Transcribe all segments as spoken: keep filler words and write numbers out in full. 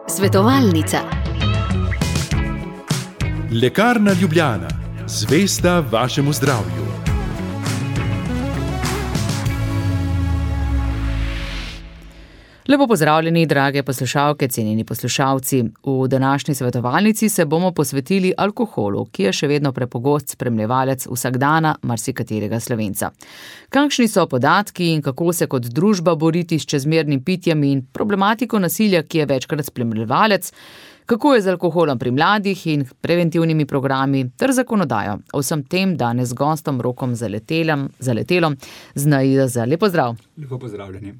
Svetovalnica. Lekarna Ljubljana, zvesta vašemu zdravju. Lepo pozdravljeni, drage poslušalke, cenjeni poslušalci. V današnji svetovalnici se bomo posvetili alkoholu, ki je še vedno prepogost spremljevalec vsakdana marsikaterega Slovenca. Kakšni so podatki in kako se kot družba boriti s čezmernim pitjem in problematiko nasilja, ki je večkrat spremljevalec, kako je z alkoholom pri mladih in preventivnimi programi ter zakonodajo. O vsem tem danes z gostom Rokom Zaletelom, Zaletelom z N I Z. Lepo zdrav. Lepo pozdravljeni.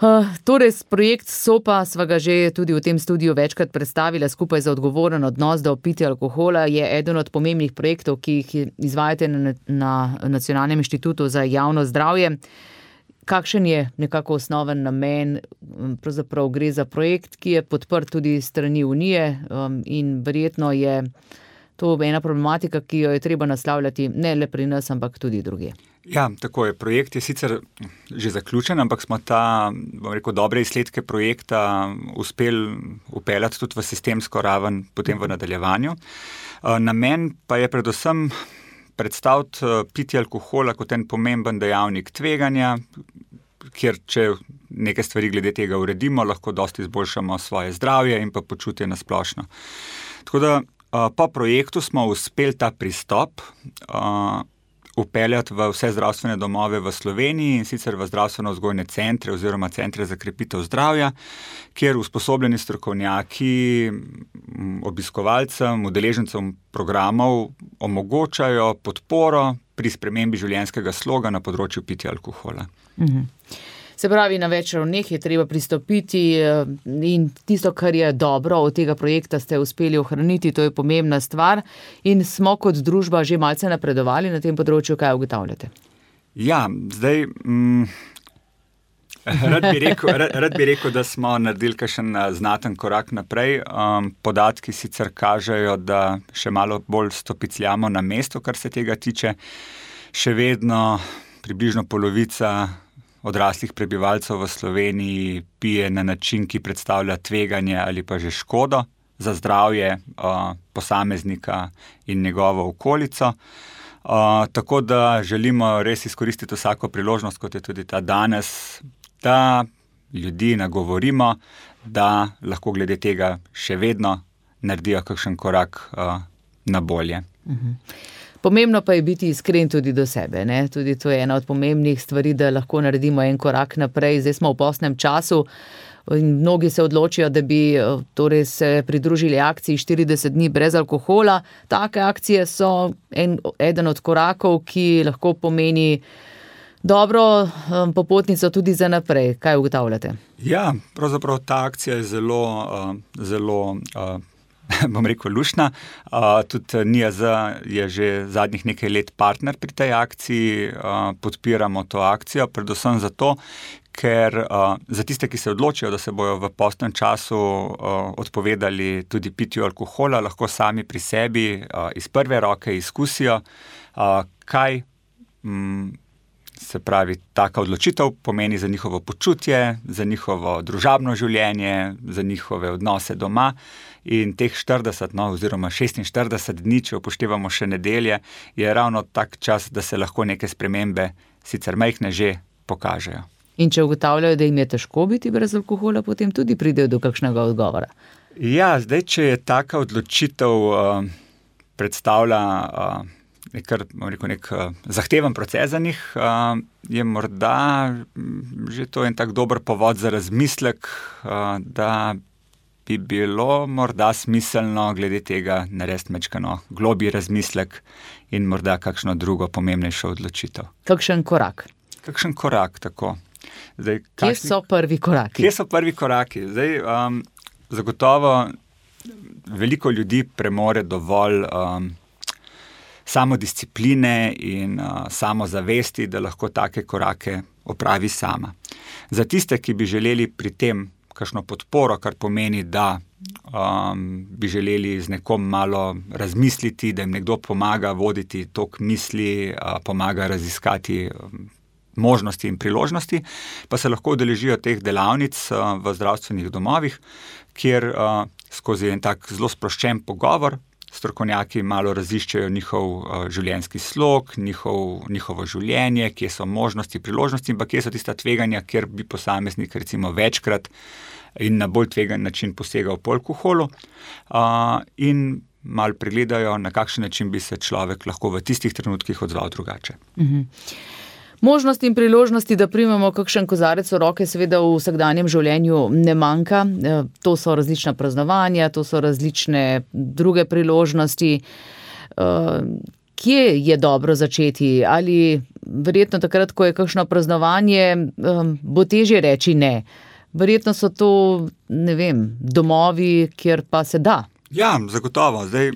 Uh, torej, projekt SOPA sva ga že tudi v tem studiu večkrat predstavila skupaj za odgovoren odnos do pitja alkohola. Je eden od pomembnih projektov, ki jih izvajate na, na Nacionalnem inštitutu za javno zdravje. Kakšen je nekako osnoven namen? Pravzaprav gre za projekt, ki je podprt tudi strani Unije um, in verjetno je to ena problematika, ki jo je treba naslavljati ne le pri nas, ampak tudi drugje. Ja, tako je. Projekt je sicer že zaključen, ampak smo ta, bom rekel, dobre izsledke projekta uspeli upeljati tudi v sistemsko raven potem v nadaljevanju. Namen pa je predvsem predstaviti pitje alkohola kot en pomemben dejavnik tveganja, kjer če neke stvari glede tega uredimo, lahko dosti izboljšamo svoje zdravje in pa počutje na splošno. Tako da po projektu smo uspeli ta pristop upeljati v vse zdravstvene domove v Sloveniji in sicer v zdravstveno-vzgojne centre oziroma centre za krepitev zdravja, kjer usposobljeni strokovnjaki obiskovalcem, udeležencem programov omogočajo podporo pri spremembi življenjskega sloga na področju pitja alkohola. Mhm. Se pravi, na več ravneh je treba pristopiti in tisto, kar je dobro od tega projekta, ste uspeli ohraniti, to je pomembna stvar in smo kot družba že malce napredovali na tem področju, kaj ugotavljate? Ja, zdaj, mm, rad, bi rekel, rad, rad bi rekel, da smo naredili kakšen znaten korak naprej. Um, podatki sicer kažejo, da še malo bolj stopicljamo na mesto, kar se tega tiče. Še vedno približno polovica odraslih prebivalcev v Sloveniji pije na način, ki predstavlja tveganje ali pa že škodo za zdravje uh, posameznika in njegovo okolico. Uh, tako da želimo res izkoristiti vsako priložnost, kot je tudi ta danes, da ljudi nagovorimo, da lahko glede tega še vedno naredijo kakšen korak uh, na bolje. Uh-huh. Pomembno pa je biti iskren tudi do sebe, ne? Tudi to je ena od pomembnih stvari, da lahko naredimo en korak naprej. Zdaj smo v postnem času in mnogi se odločijo, da bi torej se pridružili akciji štirideset dni brez alkohola. Take akcije so en, eden od korakov, ki lahko pomeni dobro um, popotnico tudi za naprej. Kaj ugotavljate? Ja, pravzaprav ta akcija je zelo, uh, zelo uh, bom rekel, lušna. Uh, tudi N I Z je že zadnjih nekaj let partner pri tej akciji, uh, podpiramo to akcijo, predvsem zato, ker uh, za tiste, ki se odločijo, da se bojo v postnem času uh, odpovedali tudi pitju alkohola, lahko sami pri sebi uh, iz prve roke izkusijo, uh, kaj mm, se pravi, taka odločitev pomeni za njihovo počutje, za njihovo družabno življenje, za njihove odnose doma. In teh štirideset, no, oziroma šestinštirideset dni, če upoštevamo še nedelje, je ravno tak čas, da se lahko neke spremembe, sicer majhne, že pokažejo. In če ugotavljajo, da jim je težko biti brez alkohola, potem tudi pridejo do kakšnega odgovora? Ja, zdaj, če je taka odločitev uh, predstavlja uh, Kar, rekel, nek uh, zahteven proces za njih, uh, je morda že to en tak dober povod za razmislek, uh, da bi bilo morda smiselno glede tega narediti majčkeno globlji razmislek in morda kakšno drugo pomembnejšo odločitev. Kakšen korak? Kakšen korak, tako. Zdaj, kakšni, kje so prvi koraki? Kje so prvi koraki? Zdaj, um, zagotovo veliko ljudi premore dovolj um, samodiscipline in uh, samozavesti, da lahko take korake opravi sama. Za tiste, ki bi želeli pri tem kakšno podporo, kar pomeni, da um, bi želeli z nekom malo razmisliti, da jim nekdo pomaga voditi tok misli, uh, pomaga raziskati um, možnosti in priložnosti, pa se lahko udeležijo teh delavnic v zdravstvenih domovih, kjer skozi en tak zelo sproščen pogovor strokovnjaki malo raziščejo njihov življenjski slog, njihov, njihovo življenje, kje so možnosti, priložnosti in pa kje so tista tveganja, kjer bi posameznik recimo večkrat in na bolj tvegan način posegal po alkoholu in malo pregledajo, na kakšen način bi se človek lahko v tistih trenutkih odzval drugače. Mhm. Možnosti in priložnosti, da primemo kakšen kozarec v roke, seveda v vsakdanjem življenju ne manjka. To so različna praznovanja, to so različne druge priložnosti. Kje je dobro začeti? Ali verjetno takrat, ko je kakšno praznovanje, bo težje reči ne? Verjetno so to, ne vem, domovi, kjer pa se da. Ja, zagotovo. Zdaj,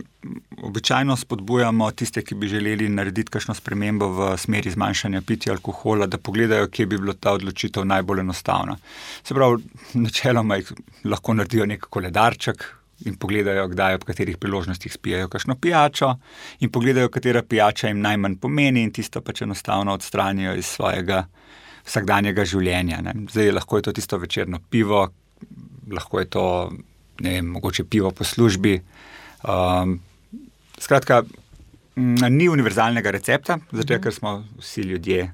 običajno spodbujamo tiste, ki bi želeli narediti kakšno spremembo v smeri zmanjšanja pitja alkohola, da pogledajo, kje bi bila ta odločitev najbolj enostavna. Se pravi, načeloma jih lahko naredijo nek koledarček in pogledajo, kdaj ob katerih priložnostih spijajo kakšno pijačo in pogledajo, katera pijača jim najmanj pomeni in tisto pač enostavno odstranijo iz svojega vsakdanjega življenja. Ne. Zdaj, lahko je to tisto večerno pivo, lahko je to ne vem, mogoče pivo po službi. Um, skratka, m, ni univerzalnega recepta, zato ker smo vsi ljudje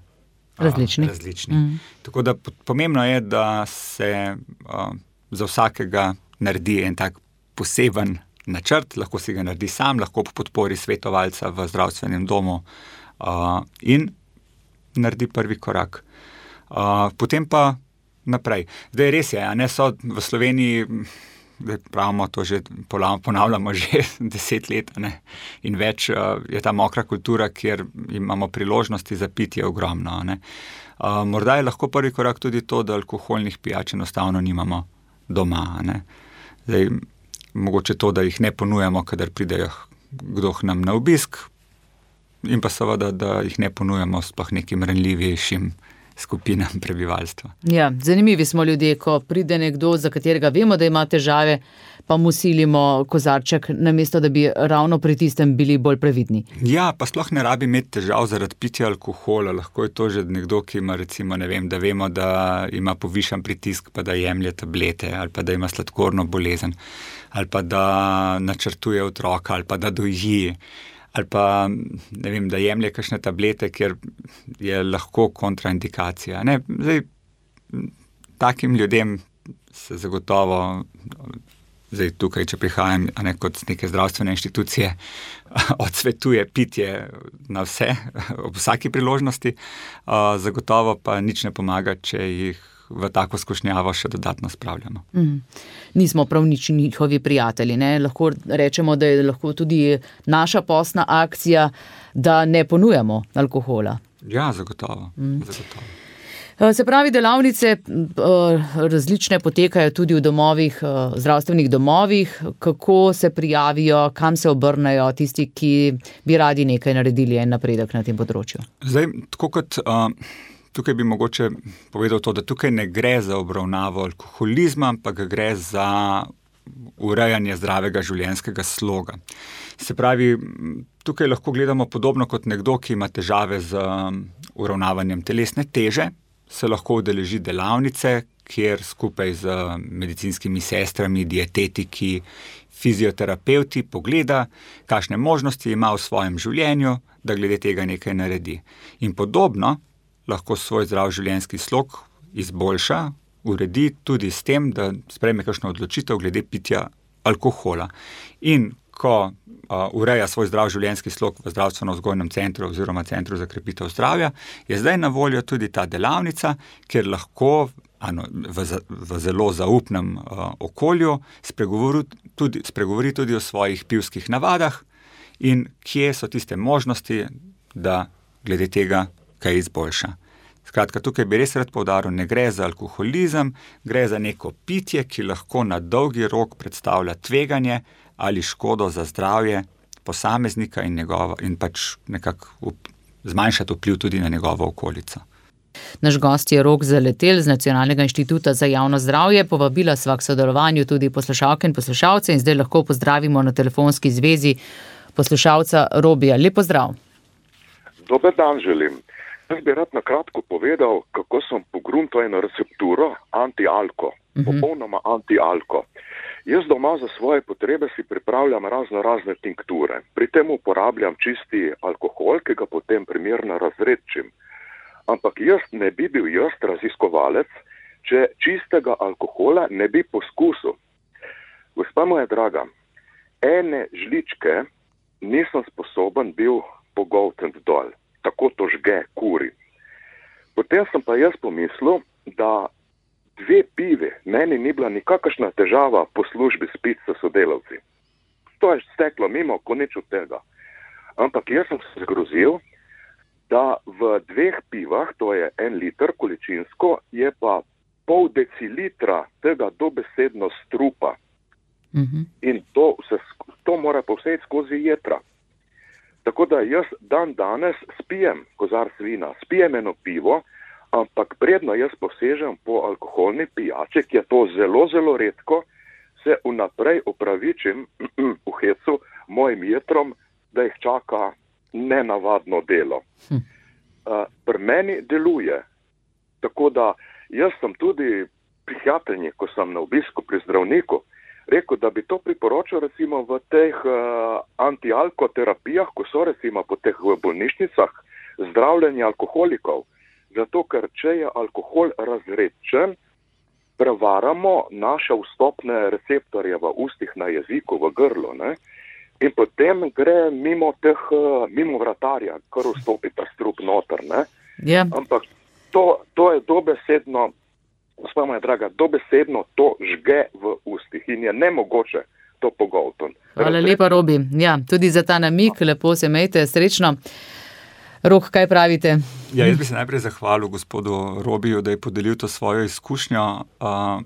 različni. Uh, različni. Mm. Tako da pomembno je, da se uh, za vsakega naredi en tak poseben načrt, lahko si ga naredi sam, lahko po podpori svetovalca v zdravstvenem domu uh, in naredi prvi korak. Uh, potem pa naprej. Zdaj res je, a ne so v Sloveniji, da pravimo to že, ponavljamo že deset let, ne, in več je ta mokra kultura, kjer imamo priložnosti za pitje ogromno, ne. Uh, morda je lahko prvi korak tudi to, da alkoholnih pijač enostavno nimamo doma, ne. Zdaj, mogoče to, da jih ne ponujamo, kadar pridejo kdo k nam na obisk, in pa seveda, da jih ne ponujamo sploh nekim ranljivejšim skupinam prebivalstva. Ja, zanimivi smo ljudje, ko pride nekdo, za katerega vemo, da ima težave, pa mu silimo kozarček, namesto da bi ravno pri tistem bili bolj previdni. Ja, pa sploh ne rabi imeti težav zaradi pitja alkohola. Lahko je to že nekdo, ki ima recimo, ne vem, da vemo, da ima povišan pritisk, pa da jemlje tablete, ali pa da ima sladkorno bolezen, ali pa da načrtuje otroka, ali pa da doji, ali pa, ne vem, da jemlje kakšne tablete, kjer je lahko kontraindikacija. Ne, zdaj, takim ljudem se zagotovo, zdaj tukaj, če prihajam ne, kot neke zdravstvene inštitucije, odsvetuje pitje na vse, ob vsaki priložnosti, zagotovo pa nič ne pomaga, če jih v tako skušnjavo še dodatno spravljamo. Mm. Nismo prav nič njihovi prijatelji, ne? Lahko rečemo, da je lahko tudi naša postna akcija, da ne ponujamo alkohola. Ja, zagotovo. Mm. zagotovo. Se pravi, delavnice različne potekajo tudi v domovih, zdravstvenih domovih. Kako se prijavijo, kam se obrnejo tisti, ki bi radi nekaj naredili en napredek na tem področju? Zdaj, tako kot... Uh... Tukaj bi mogoče povedal to, da tukaj ne gre za obravnavo alkoholizma, ampak gre za urejanje zdravega življenjskega sloga. Se pravi, tukaj lahko gledamo podobno kot nekdo, ki ima težave z uravnavanjem telesne teže, se lahko udeleži delavnice, kjer skupaj z medicinskimi sestrami, dietetiki, fizioterapevti pogleda, kakšne možnosti ima v svojem življenju, da glede tega nekaj naredi. In podobno lahko svoj zdrav življenjski slog izboljša, uredi tudi s tem, da sprejme kakšno odločitev glede pitja alkohola. In ko uh, ureja svoj zdrav življenjski slog v zdravstveno-vzgojnem centru oziroma centru za krepitev zdravja, je zdaj na voljo tudi ta delavnica, kjer lahko ano, v, v zelo zaupnem uh, okolju spregovori tudi, spregovori tudi o svojih pivskih navadah in kje so tiste možnosti, da glede tega kaj izboljša. Skratka, tukaj bi res rad poudaril, ne gre za alkoholizem, gre za neko pitje, ki lahko na dolgi rok predstavlja tveganje ali škodo za zdravje posameznika in, njegovo, in pač nekako zmanjšati vpliv tudi na njegovo okolico. Naš gost je Rok Zaletelj z Nacionalnega inštituta za javno zdravje. Povabila sva k sodelovanju tudi poslušalke in poslušalce in zdaj lahko pozdravimo na telefonski zvezi poslušalca Robija. Lep pozdrav. Dober dan želim. Jaz bi rad na kratko povedal, kako sem pogruntal eno recepturo anti-alko, uh-huh. popolnoma anti-alko. Jaz doma za svoje potrebe si pripravljam razno razne tinkture. Pri tem uporabljam čisti alkohol, ki ga potem primerno razredčim. Ampak jaz ne bi bil jaz raziskovalec, če čistega alkohola ne bi poskusil. Gospa moja draga, ene žličke nisem sposoben bil pogoltniti dol. Tako to žge, kuri. Potem sem pa jaz pomislil, da dve pivi meni ni bila nikakršna težava po službi spiti s sodelavci. To je steklo mimo, ko nič od tega. Ampak jaz sem se zgrozil, da v dveh pivah, to je en liter količinsko, je pa pol decilitra tega dobesedno strupa. Mm-hmm. In to, se, to mora povsejti skozi jetra. Tako da jaz dan danes spijem kozarc vina, spijem eno pivo, ampak predno jaz posežem po alkoholni pijači, ki je to zelo, zelo redko, se vnaprej opravičim v hecu mojim jetrom, da jih čaka nenavadno delo. Hm. Uh, pri meni deluje. Tako da jaz sem tudi psihiatrinji, ko sem na obisku pri zdravniku, rekel, da bi to priporočil recimo v teh uh, antialkoterapijah, ko so recimo po teh bolnišnicah zdravljenje alkoholikov. Zato, ker če je alkohol razredčen, prevaramo naše vstopne receptorje v ustih, na jeziku, v grlu, ne? In potem gre mimo teh, mimo vratarja, kar vstopi ta strup noter, ne? Yeah. Ampak to, to je dobesedno, gospa moja draga, dobesedno to žge v ustih in je nemogoče to pogoltniti. Hvala lepa, Robi. Ja, tudi za ta namik, lepo se imejte, srečno. Rok, kaj pravite? Ja, jaz bi se najprej zahvalil gospodu Robiju, da je podelil to svojo izkušnjo uh,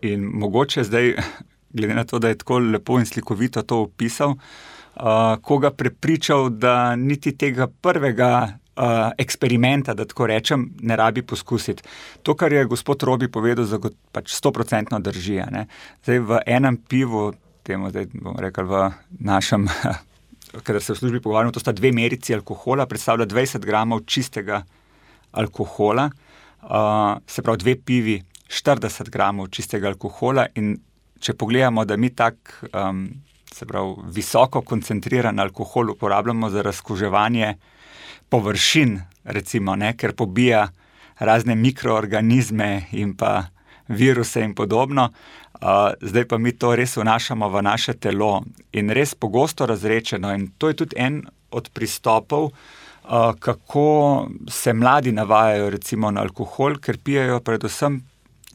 in mogoče zdaj, glede na to, da je tako lepo in slikovito to opisal, uh, koga prepričal, da niti tega prvega Uh, eksperimenta, da tako rečem, ne rabi poskusiti. To, kar je gospod Robi povedal, zagot, pač sto procentno drži. Ne? Zdaj v enem pivu, temu zdaj bom rekel v našem, kadar se v službi pogovarjamo, to sta dve merici alkohola, predstavlja dvajset gramov čistega alkohola, uh, se pravi dve pivi, štirideset gramov čistega alkohola in če pogledamo, da mi tak, um, se pravi, visoko koncentriran alkohol uporabljamo za razkuževanje površin, recimo, ne, ker pobija razne mikroorganizme in pa viruse in podobno. Uh, zdaj pa mi to res vnašamo v naše telo in res pogosto razrečeno in to je tudi en od pristopov, uh, kako se mladi navajajo recimo na alkohol, ker pijajo predvsem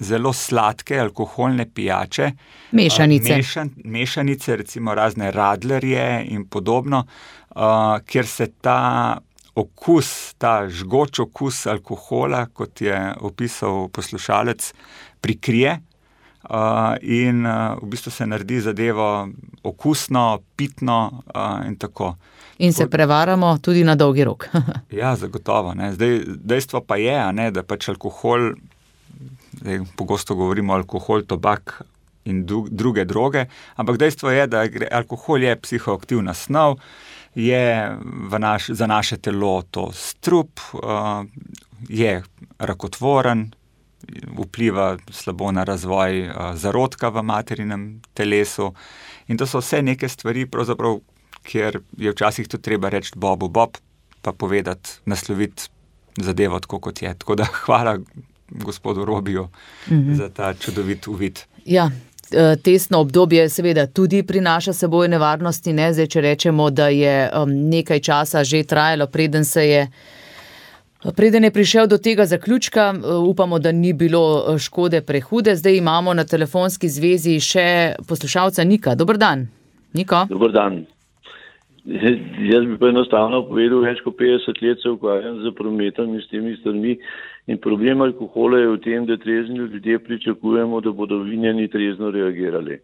zelo sladke alkoholne pijače. Mešanice. Uh, mešan, mešanice, recimo razne radlerje in podobno, uh, kjer se ta okus, ta žgoč okus alkohola, kot je opisal poslušalec, prikrije uh, in uh, v bistvu se naredi zadevo okusno, pitno uh, in tako. In se prevaramo tudi na dolgi rok. Ja, zagotovo. Ne. Zdaj, dejstvo pa je, ne, da pač alkohol, zdaj, pogosto govorimo alkohol, tobak in druge droge, ampak dejstvo je, da alkohol je psihoaktivna snov, je v naš, za naše telo to strup, uh, je rakotvoren, vpliva slabo na razvoj uh, zarodka v materinem telesu in to so vse neke stvari, pravzaprav, kjer je včasih tudi treba reči Bobu Bob, pa povedati, nasloviti zadevo tako, kot je. Tako da hvala gospodu Robiju mm-hmm. za ta čudovit uvid. Ja. Testno obdobje seveda tudi prinaša seboj nevarnosti, ne? Zdaj, če rečemo, da je um, nekaj časa že trajalo, preden se je, preden je prišel do tega zaključka, upamo, da ni bilo škode prehude. Zdaj imamo na telefonski zvezi še poslušalca Nika. Dober dan. Niko? Dober dan. Jaz bi pa enostavno povedal, več kot petdeset let se ukvarjam z prometom in s temi stvarmi in problem alkohola je v tem, da trezni ljudje pričakujemo, da bodo vinjeni trezno reagirali.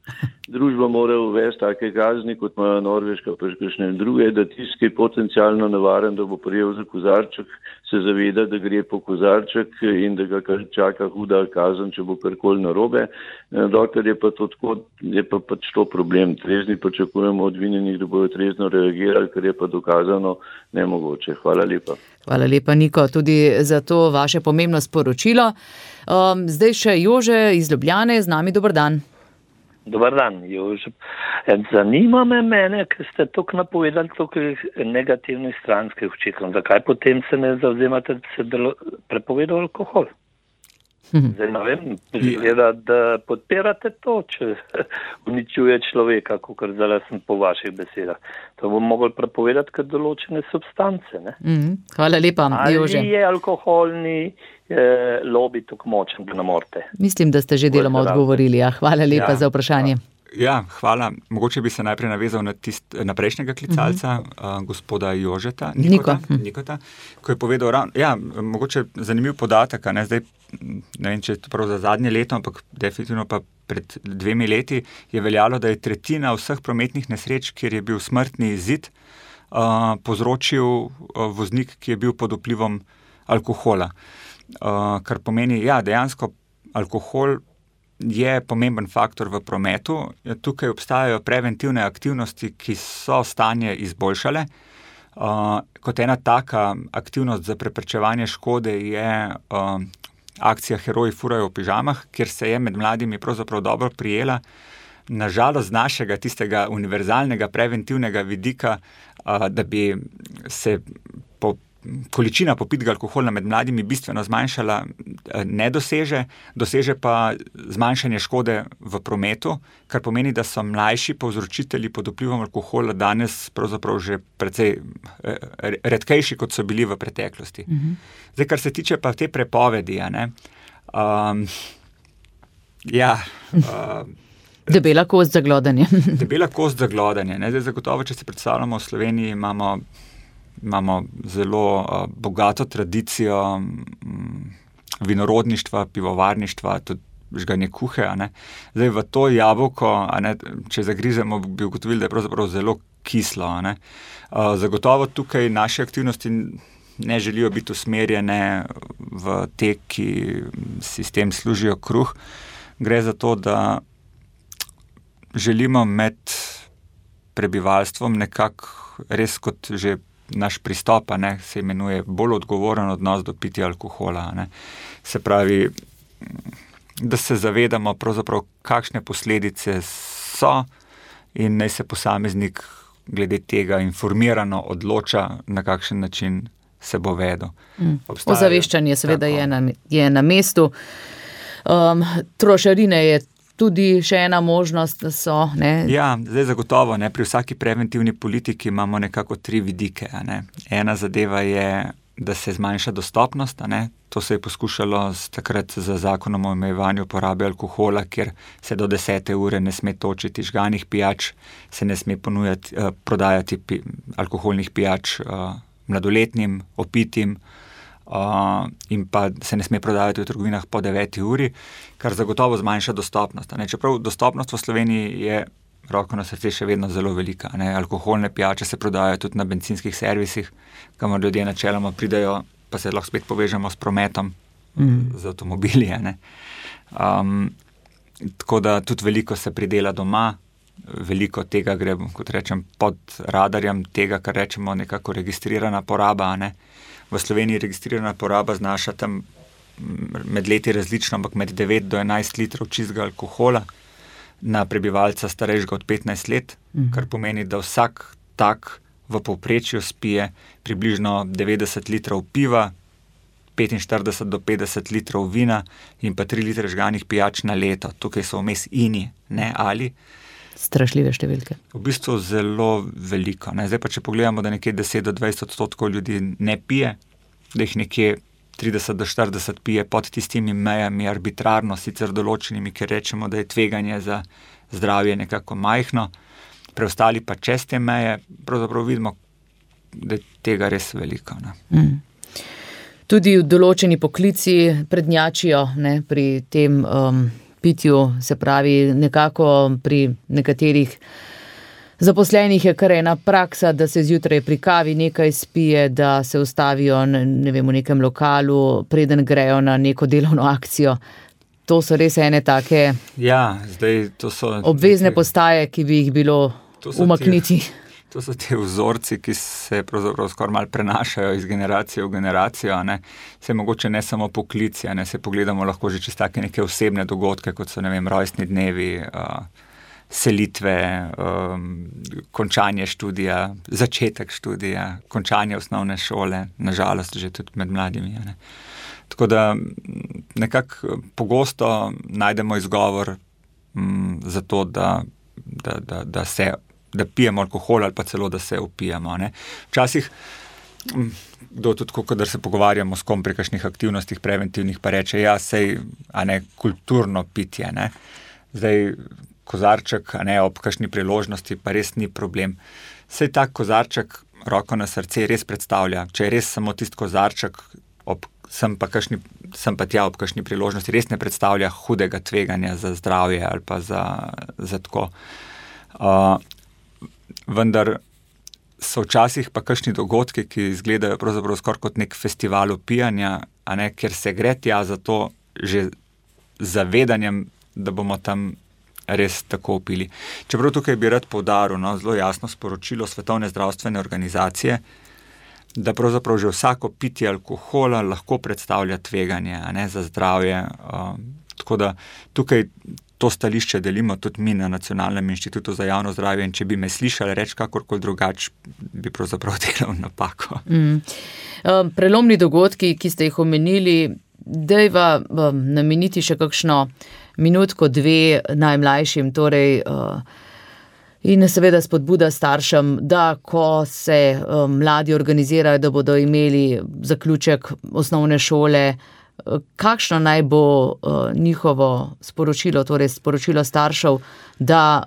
družba mora uvesti take kazni, kot imajo Norveška, pa še kakšne druge, da tisti, ki je potencialno nevaren, da bo prijel za kozarček, se zaveda, da gre po kozarček in da ga čaka huda kazen, če bo karkoli narobe. Dokler je pa to tako, je pa pač to problem. Trezni pričakujemo od vinjenih, da bojo trezno reagirali, kar je pa dokazano nemogoče. Hvala lepa. Hvala lepa, Niko, tudi za to vaše pomembno sporočilo. Um, zdaj še Jože iz Ljubljane, z nami, dober dan. Dobar dan, Jože. Zanima me mene, ker ste tukaj napovedali tukaj negativnih stranskih učinkov. Zakaj potem se ne zavzemate, da se delo, prepoveda alkohol? Zdaj ne vem, gleda, da podpirate to, če uničuje človeka, kakor zdaj sem po vaših besedah. To bo mogli prepovedati kot določene substance. Ne? Mm, hvala lepa, Jože. Ali je alkoholni eh, lobby tukaj močen, da ne morete? Mislim, da ste že deloma odgovorili. Ja. Hvala lepa ja, za vprašanje. Ja. Ja, hvala. Mogoče bi se najprej navezal na, tist, na prejšnjega klicalca, uh-huh. uh, gospoda Jožeta, Nikota, Niko. Nikota, ko je povedal, ja, mogoče zanimiv podatek, ne, zdaj, ne vem, če je to prav za zadnje leto, ampak definitivno pa pred dvemi leti je veljalo, da je tretjina vseh prometnih nesreč, kjer je bil smrtni izid, uh, povzročil uh, voznik, ki je bil pod vplivom alkohola. Uh, kar pomeni, ja, dejansko alkohol je pomemben faktor v prometu. Tukaj obstajajo preventivne aktivnosti, ki so stanje izboljšale. Uh, kot ena taka aktivnost za preprečevanje škode je uh, akcija Heroji furajo v pižamah, kjer se je med mladimi pravzaprav dobro prijela. Nažalost z našega tistega univerzalnega preventivnega vidika, uh, da bi se po količina popitega alkohola med mladimi bistveno zmanjšala, ne doseže, doseže pa zmanjšanje škode v prometu, kar pomeni, da so mlajši povzročitelji pod vplivom alkohola danes pravzaprav že precej redkejši, kot so bili v preteklosti. Mhm. Zdaj, kar se tiče pa te prepovedi, ja, ne, um, ja, uh, debela kost za glodanje. Debela kost za glodanje, ne, zdaj zagotovo, če se predstavljamo v Sloveniji, imamo imamo zelo uh, bogato tradicijo um, vinorodništva, pivovarništva, tudi žganje kuhe. A ne. Zdaj v to jabolko, a ne, če zagrizemo, bi ugotovili, da je pravzaprav zelo kislo. A ne. Uh, zagotovo tukaj naše aktivnosti ne želijo biti usmerjene v te, ki si s tem služijo kruh. Gre za to, da želimo med prebivalstvom nekako res kot že naš pristop, ne, se imenuje bolj odgovoren odnos do pitja alkohola. Ne. Se pravi, da se zavedamo pravzaprav, kakšne posledice so in naj se posameznik glede tega informirano odloča, na kakšen način se bo vedel. Mm. Ozaveščanje seveda je na, je na mestu. Um, trošarine je tudi še ena možnost, da so, ne? Ja, zdaj zagotovo, ne, pri vsaki preventivni politiki imamo nekako tri vidike, a ne. Ena zadeva je, da se zmanjša dostopnost, a ne. To se je poskušalo z, takrat z zakonom o omejevanju porabe alkohola, kjer se do desete ure ne sme točiti žganih pijač, se ne sme ponujati, eh, prodajati pi, alkoholnih pijač eh, mladoletnim, opitim, Uh, in pa se ne sme prodajati v trgovinah po deveti uri, kar zagotovo zmanjša dostopnost. Ne? Čeprav dostopnost v Sloveniji je, roko na srce, še vedno zelo velika. Ne? Alkoholne pijače se prodajajo tudi na bencinskih servisih, kamor ljudje načeloma pridajo, pa se lahko spet povežemo s prometom, mm. z avtomobili. Ne? Um, tako da tudi veliko se pridela doma, veliko tega gre, kot rečem, pod radarjem tega, kar rečemo nekako registrirana poraba, ne? V Sloveniji registrirana poraba znaša tam med leti različno, ampak med devet do enajst litrov čistega alkohola na prebivalca starejšega od petnajst let, mm. kar pomeni, da vsak tak v povprečju spije približno devetdeset litrov piva, petinštirideset do petdeset litrov vina in pa tri litre žganih pijač na leto. Tukaj so vmes ini, ne ali. Strašljive številke. V bistvu zelo veliko. Ne? Zdaj pa, če pogledamo, da nekje deset do dvajset odstotkov ljudi ne pije, da jih nekje trideset do štirideset pije pod tistimi mejami arbitrarno, sicer določenimi, ker rečemo, da je tveganje za zdravje nekako majhno, preostali pa čez te meje, pravzaprav vidimo, da je tega res veliko. Ne? Mm. Tudi v določeni poklici prednjačijo, ne, pri tem um, pitju, se pravi nekako pri nekaterih zaposlenih je kar ena praksa, da se zjutraj pri kavi nekaj spije, da se ustavijo ne vem, v nekem lokalu, preden grejo na neko delovno akcijo. To so res ene take ja, zdaj, to so obvezne postaje, ki bi jih bilo umakniti. Te, to so te vzorci, ki se pravzaprav skoraj malo prenašajo iz generacije v generacijo. Ne. Se mogoče ne samo poklici, ne, se pogledamo lahko že čez take neke osebne dogodke, kot so ne vem, rojstni dnevi, uh, selitve, um, končanje študija, začetek študija, končanje osnovne šole, nažalost že tudi med mladimi. Ne. Tako da nekako pogosto najdemo izgovor m, za to, da, da, da, da, se, da pijemo alkohol ali pa celo, da se opijemo. Ne. Včasih, kdo tudi, kadar se pogovarjamo s kom pri kakšnih aktivnostih preventivnih, pa reče, ja, sej, a ne, kulturno pitje, ne. Zdaj, kozarček, a ne, ob kakšni priložnosti, pa res ni problem. Sej tak kozarček, roko na srce, res predstavlja, če je res samo tist kozarček, ob, sem, pa kakšni, sem pa tja ob kakšni priložnosti, res ne predstavlja hudega tveganja za zdravje ali pa za, za tako. Uh, vendar so včasih pa kakšni dogodki, ki izgledajo pravzaprav skoraj kot nek festival opijanja, a ne, ker se gre tja za to že zavedanjem, da bomo tam res tako opili. Čeprav tukaj bi rad poudaril, no, zelo jasno sporočilo Svetovne zdravstvene organizacije, da pravzaprav že vsako pitje alkohola lahko predstavlja tveganje, a ne, za zdravje. Uh, tako da tukaj to stališče delimo tudi mi na Nacionalnem inštitutu za javno zdravje in če bi me slišali reči kakorkoli drugače, bi pravzaprav delal napako. Mm. Um, prelomni dogodki, ki ste jih omenili, dejva um, nameniti še kakšno minutko, dve najmlajšim, torej uh, in seveda spodbuda staršem, da ko se um, mladi organizirajo, da bodo imeli zaključek osnovne šole, uh, kakšno naj bo uh, njihovo sporočilo, torej sporočilo staršev, da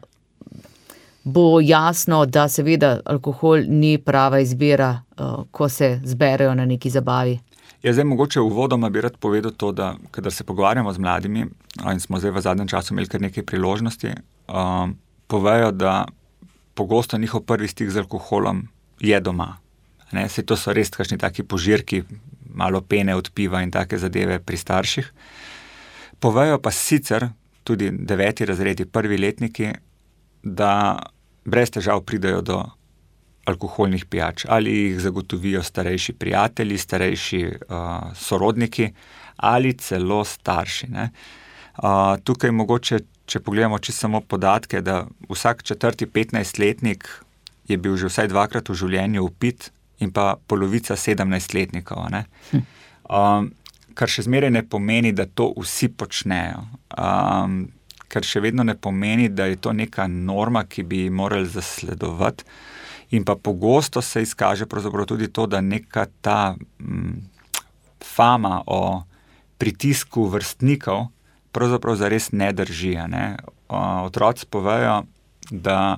bo jasno, da seveda alkohol ni prava izbira, uh, ko se zberejo na neki zabavi. Ja, zdaj mogoče uvodoma bi rad povedal to, da kadar se pogovarjamo z mladimi, in smo zdaj v zadnjem času imeli kar nekaj priložnosti, um, povejo, da pogosto njihov prvi stik z alkoholom je doma. Ne, saj to so res kakšni taki požirki, malo pene od piva in take zadeve pri starših. Povejo pa sicer tudi deveti razredi, prvi letniki, da brez težav pridejo do alkoholnih pijač, ali jih zagotovijo starejši prijatelji, starejši uh, sorodniki ali celo starši. Ne. Uh, tukaj mogoče, če pogledamo čisto samo podatke, da vsak četrti petnajstletnik je bil že vsaj dvakrat v življenju upit in pa polovica sedemnajstletnikov. Ne. Hm. Um, kar še zmeraj ne pomeni, da to vsi počnejo. Um, kar še vedno ne pomeni, da je to neka norma, ki bi morali zasledovati. In pa pogosto se izkaže pravzaprav tudi to, da neka ta m, fama o pritisku vrstnikov pravzaprav zares ne drži. Ne? O, otroci povejo, da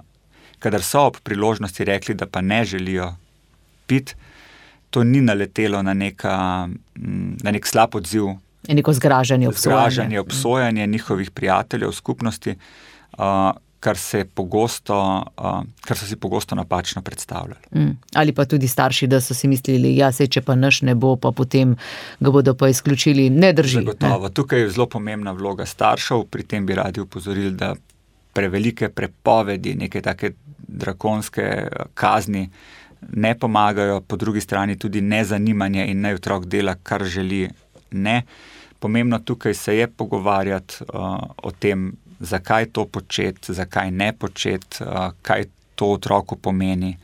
kadar so ob priložnosti rekli, da pa ne želijo piti, to ni naletelo na, neka, na nek slab odziv. Neko zgražanje, obsojanje. Zgražanje, obsojanje njihovih prijateljev, skupnosti, uh, Kar, se pogosto, uh, kar so si pogosto napačno predstavljali. Mm. Ali pa tudi starši, da so si mislili, ja, sej, če pa naš ne bo, pa potem ga bodo pa izključili. Ne drži. Zagotovo. Tukaj je zelo pomembna vloga staršev, pri tem bi radi upozorili, da prevelike prepovedi, neke take drakonske kazni ne pomagajo, po drugi strani tudi nezanimanje in naj otrok dela, kar želi, ne. Pomembno tukaj se je pogovarjati uh, o tem, zakaj to početi, zakaj ne početi, uh, kaj to otroku pomeni,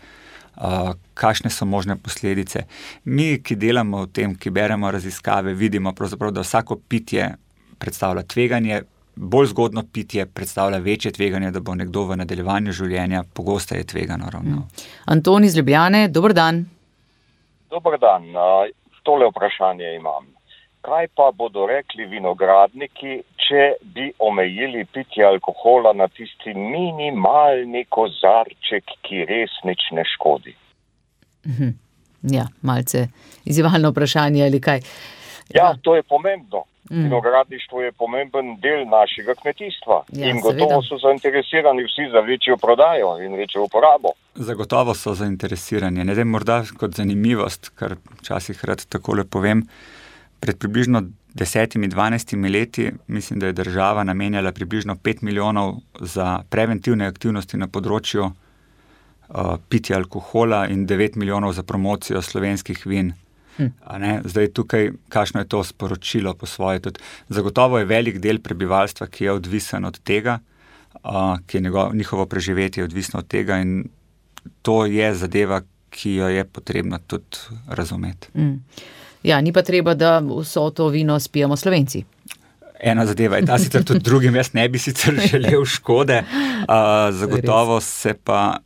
uh, kakšne so možne posledice. Mi, ki delamo v tem, ki beremo raziskave, vidimo pravzaprav, da vsako pitje predstavlja tveganje, bolj zgodno pitje predstavlja večje tveganje, da bo nekdo v nadaljevanju življenja pogosteje tvegano ravnal. Anton iz Ljubljane, dober dan. Dober dan, uh, tole vprašanje imam. Kaj pa bodo rekli vinogradniki, če bi omejili pitje alkohola na tisti minimalni kozarček, ki res nič ne škodi? Ja, malce izzivalno vprašanje ali kaj. Ja, to je pomembno. Mm. Vinogradništvo je pomemben del našega kmetijstva ja, in gotovo seveda. so zainteresirani vsi za večjo prodajo in večjo uporabo. Zagotovo so zainteresirani. Ne vem, morda kot zanimivost, kar včasih rad takole povem, pred približno desetimi, dvanajstimi leti mislim, da je država namenjala približno pet milijonov za preventivne aktivnosti na področju uh, pitja alkohola in devet milijonov za promocijo slovenskih vin. Hm. A ne? Zdaj tukaj, kakšno je to sporočilo po svoje. Tudi, zagotovo je velik del prebivalstva, ki je odvisen od tega, uh, ki je njegov, njihovo preživetje odvisno od tega in to je zadeva, ki jo je potrebno tudi razumeti. Hm. Ja, ni pa treba, da vso to vino spijemo Slovenci. Ena zadeva je ta, sicer tudi drugim, jaz ne bi sicer želel škode, uh, zagotovo se pa,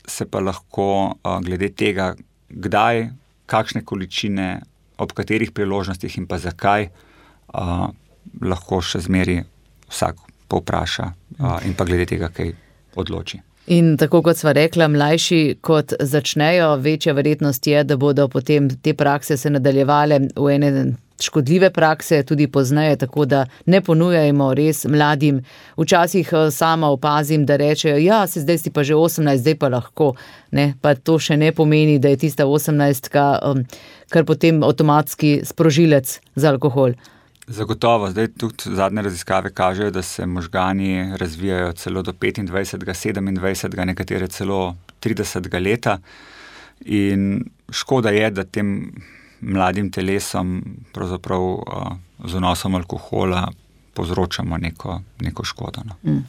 se pa lahko uh, glede tega, kdaj, kakšne količine, ob katerih priložnostih in pa zakaj, uh, lahko še zmeri vsak povpraša uh, in pa glede tega, kaj odloči. In tako kot sva rekla, mlajši kot začnejo, večja verjetnost je, da bodo potem te prakse se nadaljevale v ene škodljive prakse, tudi pozneje, tako da ne ponujajmo res mladim. Včasih sama opazim, da rečejo, ja, se zdaj si pa že osemnajst, zdaj pa lahko. Ne? Pa to še ne pomeni, da je tista osemnajstka um, kar potem avtomatski sprožilec za alkohol. Zagotovo, zdaj tudi zadnje raziskave kažejo, da se možgani razvijajo celo do petindvajsetega, sedemindvajsetega, nekatere celo tridesetega leta in škoda je, da tem mladim telesom pravzaprav uh, z vnosom alkohola povzročamo neko, neko škodo. No. Mm.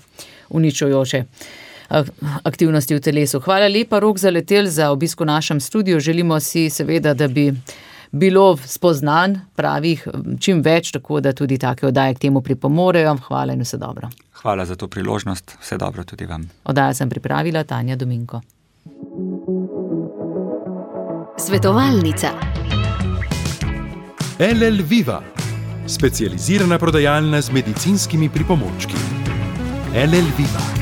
Uničujoče aktivnosti v telesu. Hvala lepa, Rok Zaletelj, za obisk v našem studiu. Želimo si seveda, da bi bilo spoznan pravih čim več, tako da tudi take oddaje k temu pripomorejo. Hvala in vse dobro. Hvala za to priložnost, vse dobro tudi vam. Oddajo sem pripravila Tanja Dominko. Svetovalnica. L L Viva, specializirana prodajalna z medicinskimi pripomočki. L L Viva.